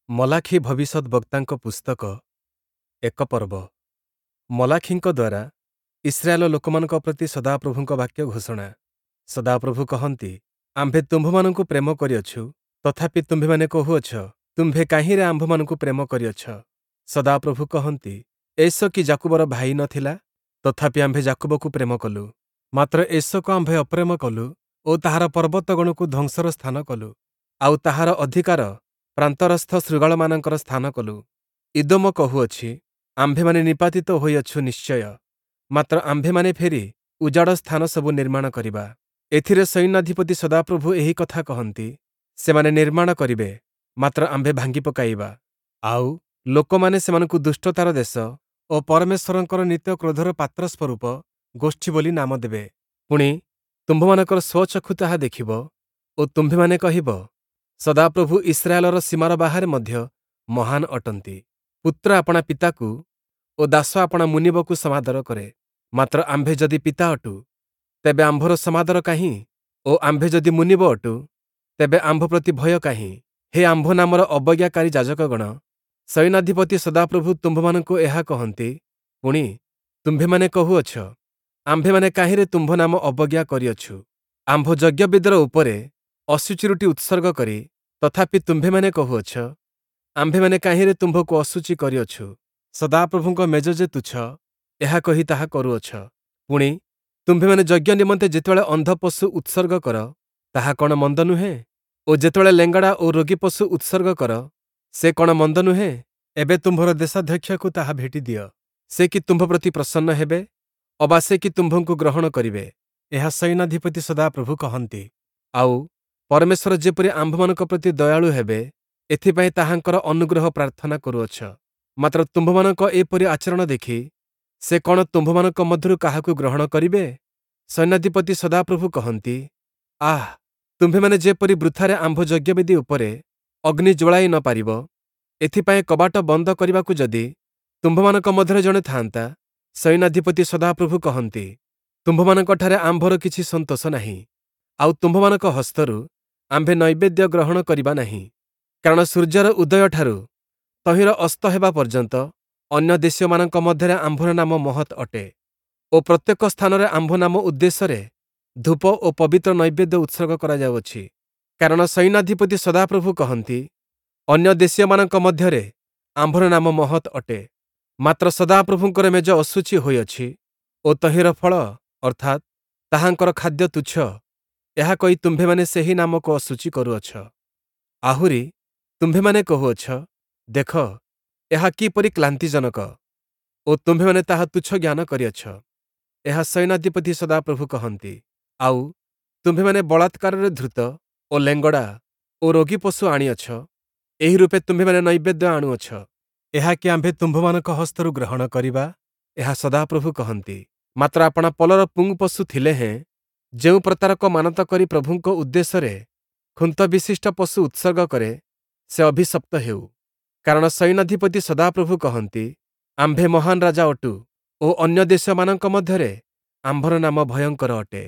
ମଲାଖୀ ଭବିଷ୍ୟଦ୍‌ବକ୍ତାଙ୍କ ପୁସ୍ତକ ଏକ ପର୍ବ। ମଲାଖୀଙ୍କ ଦ୍ୱାରା ଇସ୍ରାଏଲର ଲୋକମାନଙ୍କ ପ୍ରତି ସଦାପ୍ରଭୁଙ୍କ ବାକ୍ୟ ଘୋଷଣା। ସଦାପ୍ରଭୁ କହନ୍ତି, ଆମ୍ଭେ ତୁମ୍ଭମାନଙ୍କୁ ପ୍ରେମ କରିଅଛୁ। ତଥାପି ତୁମ୍ଭେମାନେ କହୁଅଛ, ତୁମ୍ଭେ କାହିଁରେ ଆମ୍ଭମାନଙ୍କୁ ପ୍ରେମ କରିଅଛ? ସଦାପ୍ରଭୁ କହନ୍ତି, ଏଷୌ କି ଯାକୁବର ଭାଇ ନ ଥିଲା? ତଥାପି ଆମ୍ଭେ ଯାକୁବକୁ ପ୍ରେମ କଲୁ, ମାତ୍ର ଏଷୌକୁ ଆମ୍ଭେ ଅପ୍ରେମ କଲୁ ଓ ତାହାର ପର୍ବତଗଣକୁ ଧ୍ୱଂସର ସ୍ଥାନ କଲୁ, ଆଉ ତାହାର ଅଧିକାର ପ୍ରାନ୍ତରସ୍ଥ ଶୃଗାଳମାନଙ୍କର ସ୍ଥାନ କଲୁ। ଇଦୋମ କହୁଅଛି, ଆମ୍ଭେମାନେ ନିପାତିତ ହୋଇଅଛୁ ନିଶ୍ଚୟ, ମାତ୍ର ଆମ୍ଭେମାନେ ଫେରି ଉଜାଡ଼ ସ୍ଥାନ ସବୁ ନିର୍ମାଣ କରିବା। ଏଥିରେ ସୈନ୍ୟାଧିପତି ସଦାପ୍ରଭୁ ଏହି କଥା କହନ୍ତି, ସେମାନେ ନିର୍ମାଣ କରିବେ, ମାତ୍ର ଆମ୍ଭେ ଭାଙ୍ଗି ପକାଇବା। ଆଉ ଲୋକମାନେ ସେମାନଙ୍କୁ ଦୁଷ୍ଟତାର ଦେଶ ଓ ପରମେଶ୍ୱରଙ୍କର ନିତ୍ୟ କ୍ରୋଧର ପାତ୍ର ସ୍ୱରୂପ ଗୋଷ୍ଠୀ ବୋଲି ନାମ ଦେବେ। ପୁଣି, ତୁମ୍ଭମାନଙ୍କର ସ୍ୱଚକ୍ଷୁ ତାହା ଦେଖିବ ଓ ତୁମ୍ଭେମାନେ କହିବ, ସଦାପ୍ରଭୁ ଇସ୍ରାଏଲର ସୀମାର ବାହାରେ ମଧ୍ୟ ମହାନ ଅଟନ୍ତି। ପୁତ୍ର ଆପଣା ପିତାକୁ ଓ ଦାସ ଆପଣା ମୁନିବକୁ ସମାଦର କରେ। ମାତ୍ର ଆମ୍ଭେ ଯଦି ପିତା ଅଟୁ, ତେବେ ଆମ୍ଭର ସମାଦର କାହିଁ? ଓ ଆମ୍ଭେ ଯଦି ମୁନିବ ଅଟୁ, ତେବେ ଆମ୍ଭ ପ୍ରତି ଭୟ କାହିଁ? ହେ ଆମ୍ଭ ନାମର ଅବଜ୍ଞାକାରୀ ଯାଜକଗଣ, ସୈନ୍ୟାଧିପତି ସଦାପ୍ରଭୁ ତୁମ୍ଭମାନଙ୍କୁ ଏହା କହନ୍ତି। ପୁଣି, ତୁମ୍ଭେମାନେ କହୁଅଛ, ଆମ୍ଭେମାନେ କାହିଁରେ ତୁମ୍ଭ ନାମ ଅବଜ୍ଞା କରିଅଛୁ? ଆମ୍ଭ ଯଜ୍ଞବେଦୀର ଉପରେ ଅଶୁଚି ରୁଟି ଉତ୍ସର୍ଗ କରି। ତଥାପି ତୁମ୍ଭେମାନେ କହୁଅଛ, ଆମ୍ଭେମାନେ କାହିଁରେ ତୁମ୍ଭକୁ ଅଶୁଚି କରିଅଛୁ? ସଦାପ୍ରଭୁଙ୍କ ମେଜ ଯେ ତୁଚ୍ଛ, ଏହା କହି ତାହା କରୁଅଛ। ପୁଣି, ତୁମ୍ଭେମାନେ ଯଜ୍ଞ ନିମନ୍ତେ ଯେତେବେଳେ ଅନ୍ଧ ପଶୁ ଉତ୍ସର୍ଗ କର, ତାହା କ'ଣ ମନ୍ଦ ନୁହେଁ? ଓ ଯେତେବେଳେ ଲେଙ୍ଗଡ଼ା ଓ ରୋଗୀ ପଶୁ ଉତ୍ସର୍ଗ କର, ସେ କ'ଣ ମନ୍ଦ ନୁହେଁ? ଏବେ ତୁମ୍ଭର ଦେଶାଧ୍ୟକ୍ଷକୁ ତାହା ଭେଟି ଦିଅ। ସେ କି ତୁମ୍ଭ ପ୍ରତି ପ୍ରସନ୍ନ ହେବେ? ଅବା ସେ କି ତୁମ୍ଭଙ୍କୁ ଗ୍ରହଣ କରିବେ? ଏହା ସୈନ୍ୟାଧିପତି ସଦାପ୍ରଭୁ କହନ୍ତି। ଆଉ ପରମେଶ୍ୱର ଯେପରି ଆମ୍ଭମାନଙ୍କ ପ୍ରତି ଦୟାଳୁ ହେବେ, ଏଥିପାଇଁ ତାହାଙ୍କର ଅନୁଗ୍ରହ ପ୍ରାର୍ଥନା କରୁଅଛ। ମାତ୍ର ତୁମ୍ଭମାନଙ୍କ ଏପରି ଆଚରଣ ଦେଖି ସେ କ'ଣ ତୁମ୍ଭମାନଙ୍କ ମଧ୍ୟରୁ କାହାକୁ ଗ୍ରହଣ କରିବେ? ସୈନ୍ୟାଧିପତି ସଦାପ୍ରଭୁ କହନ୍ତି, ଆଃ, ତୁମ୍ଭେମାନେ ଯେପରି ବୃଥାରେ ଆମ୍ଭ ଯଜ୍ଞବେଦୀ ଉପରେ ଅଗ୍ନି ଜ୍ୱଳାଇ ନ ପାରିବ, ଏଥିପାଇଁ କବାଟ ବନ୍ଦ କରିବାକୁ ଯଦି ତୁମ୍ଭମାନଙ୍କ ମଧ୍ୟରେ ଜଣେ ଥାଆନ୍ତା! ସୈନ୍ୟାଧିପତି ସଦାପ୍ରଭୁ କହନ୍ତି, ତୁମ୍ଭମାନଙ୍କଠାରେ ଆମ୍ଭର କିଛି ସନ୍ତୋଷ ନାହିଁ, ଆଉ ତୁମ୍ଭମାନଙ୍କ ହସ୍ତରୁ ଆମ୍ଭେ ନୈବେଦ୍ୟ ଗ୍ରହଣ କରିବା ନାହିଁ। କାରଣ ସୂର୍ଯ୍ୟର ଉଦୟଠାରୁ ତହିଁର ଅସ୍ତ ହେବା ପର୍ଯ୍ୟନ୍ତ ଅନ୍ୟ ଦେଶୀୟମାନଙ୍କ ମଧ୍ୟରେ ଆମ୍ଭର ନାମ ମହତ୍ ଅଟେ ଓ ପ୍ରତ୍ୟେକ ସ୍ଥାନରେ ଆମ୍ଭ ନାମ ଉଦ୍ଦେଶ୍ୟରେ ଧୂପ ଓ ପବିତ୍ର ନୈବେଦ୍ୟ ଉତ୍ସର୍ଗ କରାଯାଉଅଛି। କାରଣ ସୈନ୍ୟାଧିପତି ସଦାପ୍ରଭୁ କହନ୍ତି, ଅନ୍ୟ ଦେଶୀୟମାନଙ୍କ ମଧ୍ୟରେ ଆମ୍ଭର ନାମ ମହତ୍ ଅଟେ, ମାତ୍ର ସଦାପ୍ରଭୁଙ୍କର ମେଜ ଅଶୁଚି ହୋଇଅଛି ଓ ତହିଁର ଫଳ, ଅର୍ଥାତ୍ ତାହାଙ୍କର ଖାଦ୍ୟ ତୁଚ୍ଛ, ଏହା କହି ତୁମ୍ଭେମାନେ ସେହି ନାମକୁ ଅଶୁଚି କରୁଅଛ। ଆହୁରି ତୁମ୍ଭେମାନେ କହୁଅଛ, ଦେଖ, ଏହା କିପରି କ୍ଳାନ୍ତିଜନକ! ଓ ତୁମ୍ଭେମାନେ ତାହା ତୁଚ୍ଛ ଜ୍ଞାନ କରିଅଛ। ଏହା ସୈନ୍ୟାଧିପତି ସଦାପ୍ରଭୁ କହନ୍ତି। ଆଉ ତୁମ୍ଭେମାନେ ବଳାତ୍କାରରେ ଧୃତ ଓ ଲେଙ୍ଗଡ଼ା ଓ ରୋଗୀ ପଶୁ ଆଣିଅଛ, ଏହି ରୂପେ ତୁମ୍ଭେମାନେ ନୈବେଦ୍ୟ ଆଣୁଅଛ। ଏହା କି ଆମ୍ଭେ ତୁମ୍ଭମାନଙ୍କ ହସ୍ତରୁ ଗ୍ରହଣ କରିବା? ଏହା ସଦାପ୍ରଭୁ କହନ୍ତି। ମାତ୍ର ଆପଣା ପଲର ପୁଂ ପଶୁ ଥିଲେ ହେଁ ଯେଉଁ ପ୍ରତାରକ ମାନତ କରି ପ୍ରଭୁଙ୍କ ଉଦ୍ଦେଶ୍ୟରେ ଖୁନ୍ତ ବିଶିଷ୍ଟ ପଶୁ ଉତ୍ସର୍ଗ କରେ, ସେ ଅଭିଶପ୍ତ ହେଉ। କାରଣ ସୈନ୍ୟାଧିପତି ସଦାପ୍ରଭୁ କହନ୍ତି, ଆମ୍ଭେ ମହାନ ରାଜା ଅଟୁ ଓ ଅନ୍ୟ ଦେଶମାନଙ୍କ ମଧ୍ୟରେ ଆମ୍ଭର ନାମ ଭୟଙ୍କର ଅଟେ।